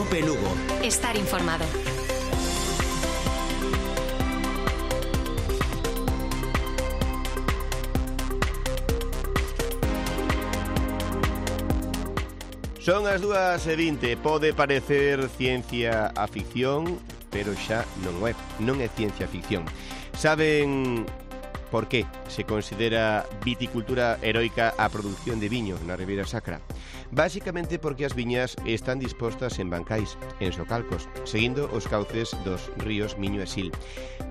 Cope Lugo. Estar informado. Son as 2:20, pode parecer ciencia a ficción, pero xa non é ciencia ficción. Saben por qué se considera viticultura heroica a produción de viño na Ribeira Sacra? Básicamente porque as viñas están dispostas en bancais, en socalcos, seguindo os cauces dos ríos Miño e Sil.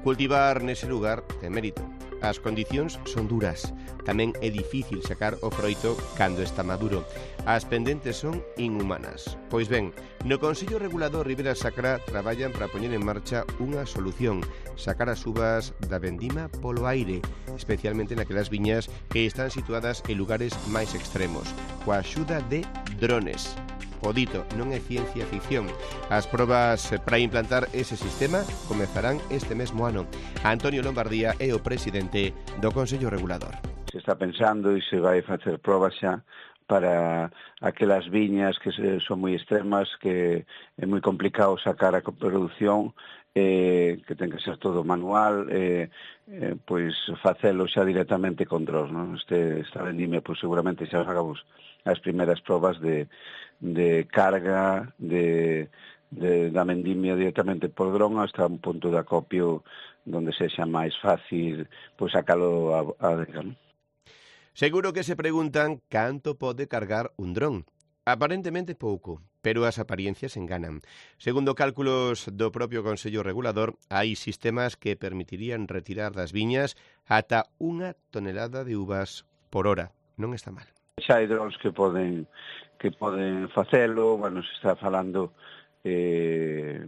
Cultivar nese lugar ten mérito. As condicións son duras. Tamén é difícil sacar o froito cando está maduro. As pendentes son inhumanas. Pois ben, no Consello Regulador Ribeira Sacra traballan para poñer en marcha unha solución, sacar as uvas da vendima polo aire, especialmente naquelas viñas que están situadas en lugares máis extremos, coa axuda de drones. O dito, non é ciencia ficción. As probas para implantar ese sistema comezarán este mesmo ano. Antonio Lombardía é o presidente do Consello Regulador. Se está pensando e se vai facer probas xa para aquelas viñas que son moi extremas, que é moi complicado sacar a coproducción, que ten que ser todo manual, pois facelo xa directamente con drones, non? Esta vendimia, pois seguramente xa hagamos as primeiras probas de carga da vendimia directamente por dron hasta un punto de acopio donde sexa máis fácil pois sacalo a adega, non? Seguro que se preguntan canto pode cargar un dron. Aparentemente pouco, pero as apariencias enganan. Segundo cálculos do propio Consello Regulador, hai sistemas que permitirían retirar das viñas ata 1 tonelada de uvas por hora. Non está mal. Xa hai drones que poden facelo, bueno, se está falando de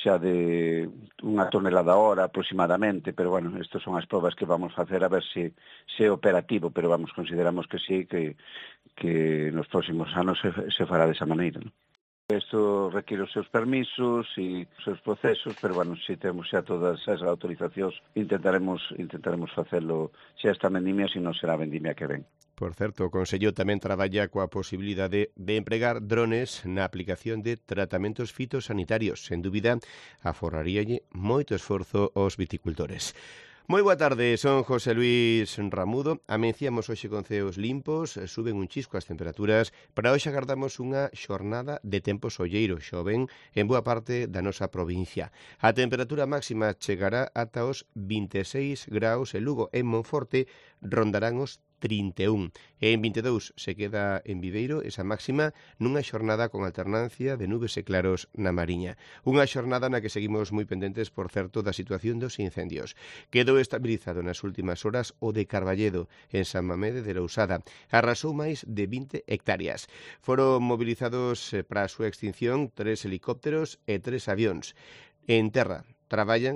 1 tonelada a hora aproximadamente, pero bueno, estas son as probas que vamos facer a ver se é operativo, pero vamos, consideramos que sí, que nos próximos anos se fará desa maneira, non? Isto require os seus permisos e os seus procesos, pero bueno, se temos xa todas as autorizacións, intentaremos facelo xa esta vendimia, se non será a vendimia que ven. Por certo, o Consello tamén traballa coa posibilidade de empregar drones na aplicación de tratamentos fitosanitarios. Sen dúbida, aforraríalle moito esforzo aos viticultores. Moi boa tarde, son José Luis Ramudo. Amenciamos hoxe con ceos limpos, suben un chisco as temperaturas. Para hoxe agardamos unha xornada de tempo solleiro, xoven en boa parte da nosa provincia. A temperatura máxima chegará ata os 26 graus en Lugo. En Monforte rondarán os 31. En 22 se queda en Viveiro esa máxima nunha xornada con alternancia de nubes e claros na Mariña. Unha xornada na que seguimos moi pendentes, por certo, da situación dos incendios. Quedou estabilizado nas últimas horas o de Carballedo, en San Mamede de Lousada. Arrasou máis de 20 hectáreas. Foron movilizados para a súa extinción 3 helicópteros e 3 avións. En terra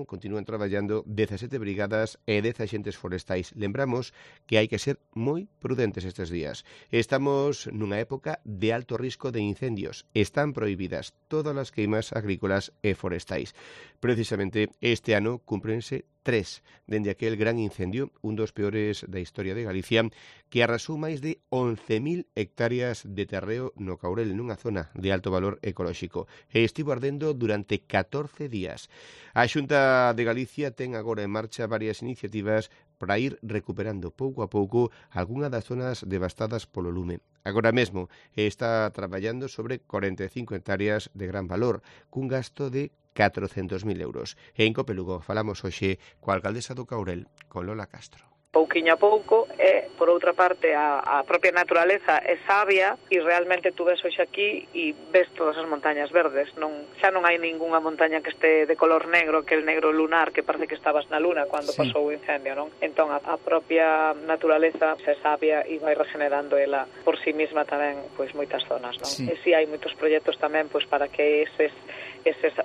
continúan traballando 17 brigadas e 10 axentes forestais. Lembramos que hai que ser moi prudentes estes días. Estamos nunha época de alto risco de incendios. Están prohibidas todas as queimas agrícolas e forestais. Precisamente este ano cúmprense 3 dende aquel gran incendio, un dos peores da historia de Galicia, que arrasou máis de 11.000 hectáreas de terreo no Caurel, nunha zona de alto valor ecolóxico, e estivo ardendo durante 14 días. A Xunta de Galicia ten agora en marcha varias iniciativas para ir recuperando pouco a pouco algunha das zonas devastadas polo lume. Agora mesmo está traballando sobre 45 hectáreas de gran valor, cun gasto de 400.000 euros. En Cope Lugo falamos hoxe coa alcaldesa do Caurel, con Lola Castro. Pouquiño a pouco, e, por outra parte, a propia naturaleza é sabia e realmente tú ves hoxe aquí e ves todas as montañas verdes. Xa non hai ningunha montaña que este de color negro, que el negro lunar que parece que estabas na luna cando pasou o incendio, non? Entón, a propia naturaleza é sabia e vai regenerando ela por sí mesma tamén, pois, moitas zonas, non? Sí. E si hai moitos proxectos tamén, pois, para que eses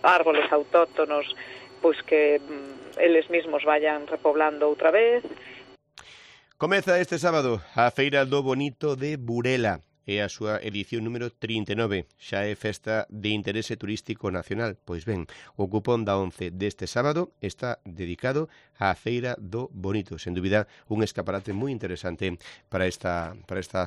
árboles autóctonos, pois, que eles mesmos vayan repoblando outra vez. Comeza este sábado a Feira do Bonito de Burela. é a súa edición número 39. Xa é festa de interese turístico nacional. Pois ben, o cupón da 11 deste sábado está dedicado á Feira do Bonito. Sen dúbida, un escaparate moi interesante para esta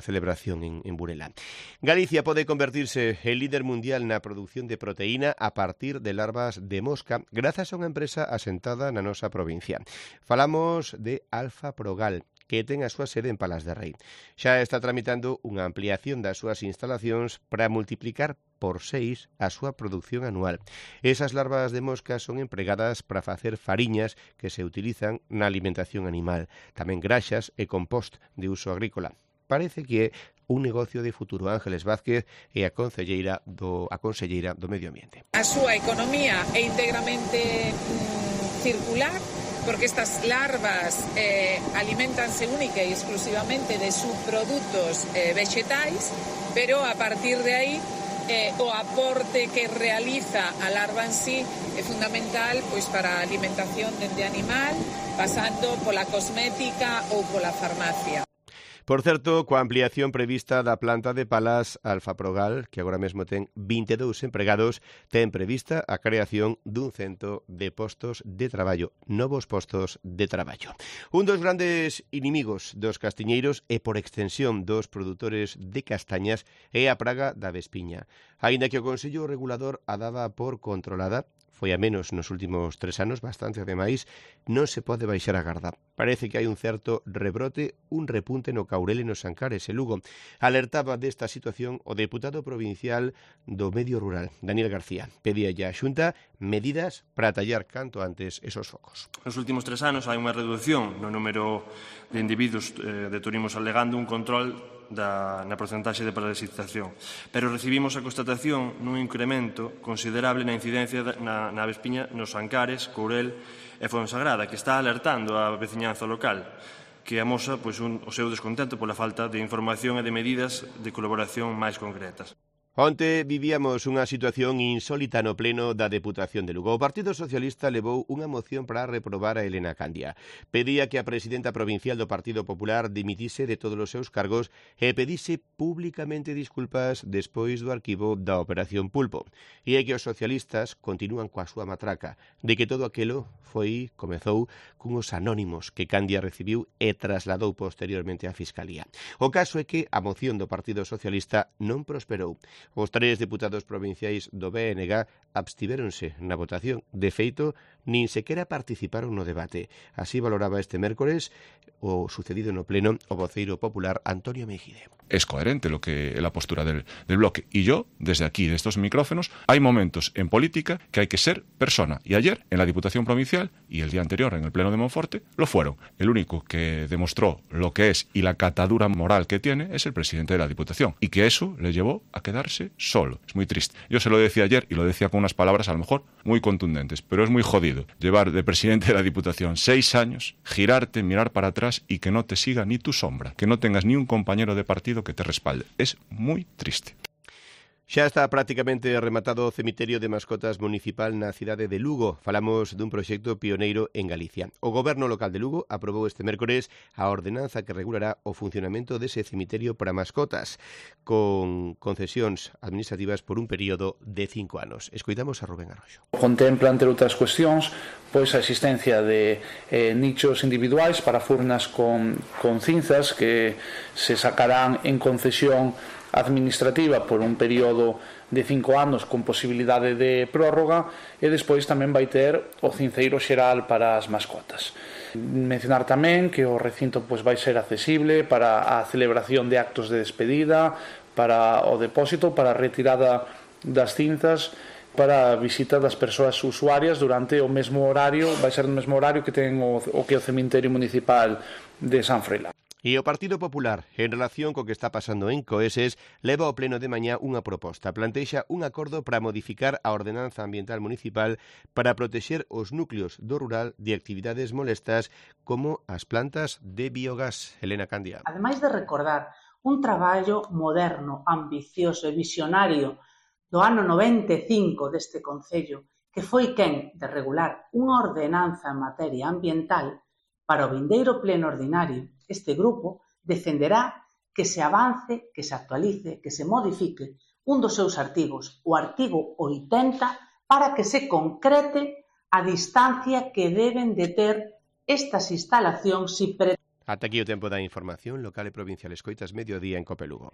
celebración en Burela. Galicia pode convertirse en líder mundial na produción de proteína a partir de larvas de mosca grazas a unha empresa asentada na nosa provincia. Falamos de Alfa Progal, que ten a súa sede en Palas de Rei. Xa está tramitando unha ampliación das súas instalacións para multiplicar por 6 a súa produción anual. Esas larvas de mosca son empregadas para facer fariñas que se utilizan na alimentación animal, tamén graxas e compost de uso agrícola. Parece que é un negocio de futuro. Ángeles Vázquez é a conselleira do Medio Ambiente. A súa economía é íntegramente circular, porque estas larvas alimentanse única e exclusivamente de subprodutos vegetais, pero a partir de aí o aporte que realiza a larva en sí é fundamental pois para a alimentación dende animal, pasando pola cosmética ou pola farmacia. Por certo, coa ampliación prevista da planta de Palas, Alfa Progal, que agora mesmo ten 22 empregados, ten prevista a creación dun 100 de postos de traballo, novos postos de traballo. Un dos grandes inimigos dos castiñeiros e, por extensión, dos produtores de castañas é a praga da vespiña. Aínda que o Consello Regulador a daba por controlada, foi a menos nos últimos 3 anos, bastante ademais, non se pode baixar a garda. Parece que hai un certo rebrote, un repunte no Caurel e nos Ancares e Lugo. Alertaba desta situación o deputado provincial do Medio Rural, Daniel García. Pedía a Xunta medidas para tallar canto antes esos focos. Nos últimos 3 anos hai unha reducción no número de individuos deturimos alegando un control na porcentaxe de parasitación, pero recibimos a constatación nun incremento considerable na incidencia na vespiña nos Ancares, Courel e Fonsagrada, que está alertando a veciñanza local, que amosa o seu descontento pola falta de información e de medidas de colaboración máis concretas. Onte vivíamos unha situación insólita no pleno da Deputación de Lugo. O Partido Socialista levou unha moción para reprobar a Elena Candia. Pedía que a presidenta provincial do Partido Popular dimitise de todos os seus cargos e pedise públicamente disculpas despois do arquivo da Operación Pulpo. E é que os socialistas continúan coa súa matraca de que todo aquilo comezou cunhos anónimos que Candia recibiu e trasladou posteriormente á Fiscalía. O caso é que a moción do Partido Socialista non prosperou. Os 3 deputados provinciais do BNG abstivéronse na votación. De feito, nin sequera participaron no debate. Así valoraba este mércores o sucedido no pleno o voceiro popular Antonio Mejide. Es coherente la postura del bloque. Y yo, desde aquí, de estos micrófonos, hay momentos en política que hay que ser persona. Y ayer, en la Diputación Provincial, y el día anterior, en el Pleno de Monforte, lo fueron. El único que demostró lo que es y la catadura moral que tiene es el presidente de la Diputación. Y que eso le llevó a quedarse solo. Es muy triste. Yo se lo decía ayer, y lo decía con unas palabras a lo mejor muy contundentes, pero es muy jodido llevar de presidente de la Diputación 6 años, girarte, mirar para atrás y que no te siga ni tu sombra, que no tengas ni un compañero de partido que te respalde. Es muy triste. Xa está prácticamente rematado o cemiterio de mascotas municipal na cidade de Lugo. Falamos dun proxecto pioneiro en Galicia. O goberno local de Lugo aprobou este mércores a ordenanza que regulará o funcionamento dese cemiterio para mascotas, con concesións administrativas por un período de 5 anos. Escoitamos a Rubén Arroxo. Contempla, entre outras cuestións, pois a existencia de nichos individuais para furnas con cinzas que se sacarán en concesión administrativa por un período de 5 anos con posibilidade de prórroga e despois tamén vai ter o cinceiro xeral para as mascotas. Mencionar tamén que o recinto vai ser accesible para a celebración de actos de despedida, para o depósito, para a retirada das cinzas, para a visita das persoas usuarias durante o mesmo horario, vai ser o mesmo horario que ten o cemiterio municipal de San Froilán. E o Partido Popular, en relación co que está pasando en Coeses, leva ao pleno de mañá unha proposta. Plantexa un acordo para modificar a ordenanza ambiental municipal para protexer os núcleos do rural de actividades molestas como as plantas de biogás. Elena Candia. Ademais de recordar un traballo moderno, ambicioso e visionario do ano 95 deste Concello, que foi quen de regular unha ordenanza en materia ambiental, para o vindeiro pleno ordinario, este grupo defenderá que se avance, que se actualice, que se modifique un dos seus artigos, o artigo 80, para que se concrete a distancia que deben de ter estas instalacións. Ata aquí o tempo da información local e provincial. Escoitas Mediodía en Cope Lugo.